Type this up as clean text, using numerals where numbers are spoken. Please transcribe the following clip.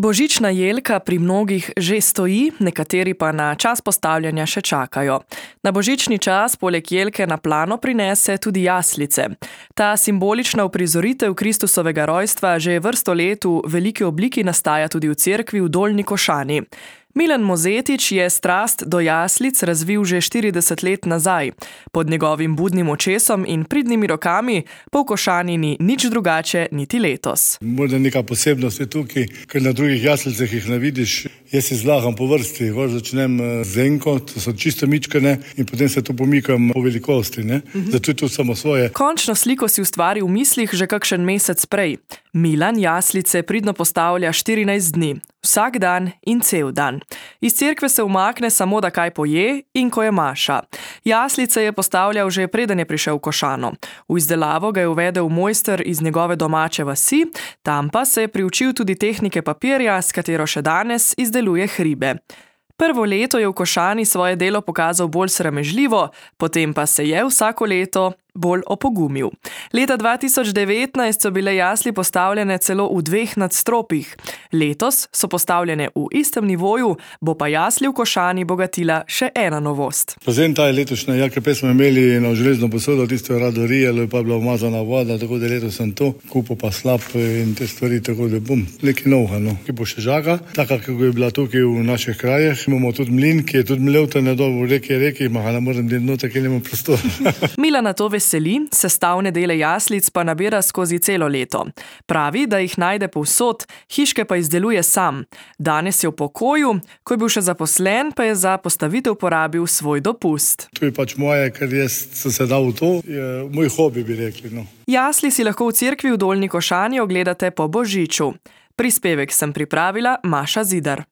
Božična jelka pri mnogih že stoji, nekateri pa na čas postavljanja še čakajo. Na božični čas poleg jelke na plano prinese tudi jaslice. Ta simbolična uprizoritev Kristusovega rojstva že vrsto let v veliki obliki nastaja tudi v cerkvi v Dolnji Košani. Milan Mozetič je strast do jaslic razvil že 40 let nazaj. Pod njegovim budnim očesom in pridnimi rokami pa v Košani ni nič drugače niti letos. Morda neka posebnost je tukaj, ker na drugih jaslicah jih ne vidiš. Jaz si zlagam po vrsti, začnem z enko, to so čisto mičkane in potem se to pomikam po velikosti. Zato je to samo svoje. Končno sliko si ustvari v mislih že kakšen mesec prej. Milan jaslice pridno postavlja 14 dni, vsak dan in cel dan. Iz cerkve se umakne samo, da kaj poje in ko je maša. Jaslice je postavljal že preden je prišel v Košano. V izdelavo ga je uvedel mojster iz njegove domače vasi, tam pa se je priučil tudi tehnike papirja, s katero še danes izdeluje hribe. Prvo leto je v Košani svoje delo pokazal bolj sramežljivo, potem pa se je vsako leto bolj opogumil. Leta 2019 so bile jasli postavljene celo v 2 nadstropjih. Letos so postavljene v istem nivoju, bo pa jasli v Košani bogatila še ena novost. Razen ta je letošnja jelka, prej smo imeli eno železno posodo, tisto je rado rijelo, pa je bila umazana voda, tako da letos sem to, kupo pa slab in te stvari, tako da bom nekaj novega, ki bo še žaga, taka, kako je bila tukaj v naših krajih. Imamo tudi mlin, ki je tudi mlev tam na dol v reki, ma ne morem delati noter, ker nimam prostora. Milana to veseli, sestavne dele jaslic pa nabira skozi celo leto. Pravi, da jih najde povsod, hiške pa izdeluje sam. Danes je v pokoju, ko je bil še zaposlen, pa je za postavitev porabil svoj dopust. To je pač moje, ker jaz sem se dal v to, je moj hobi, bi rekli. Jasli si lahko v cerkvi v Dolnji Košani ogledate po božiču. Prispevek sem pripravila Maša Zidar.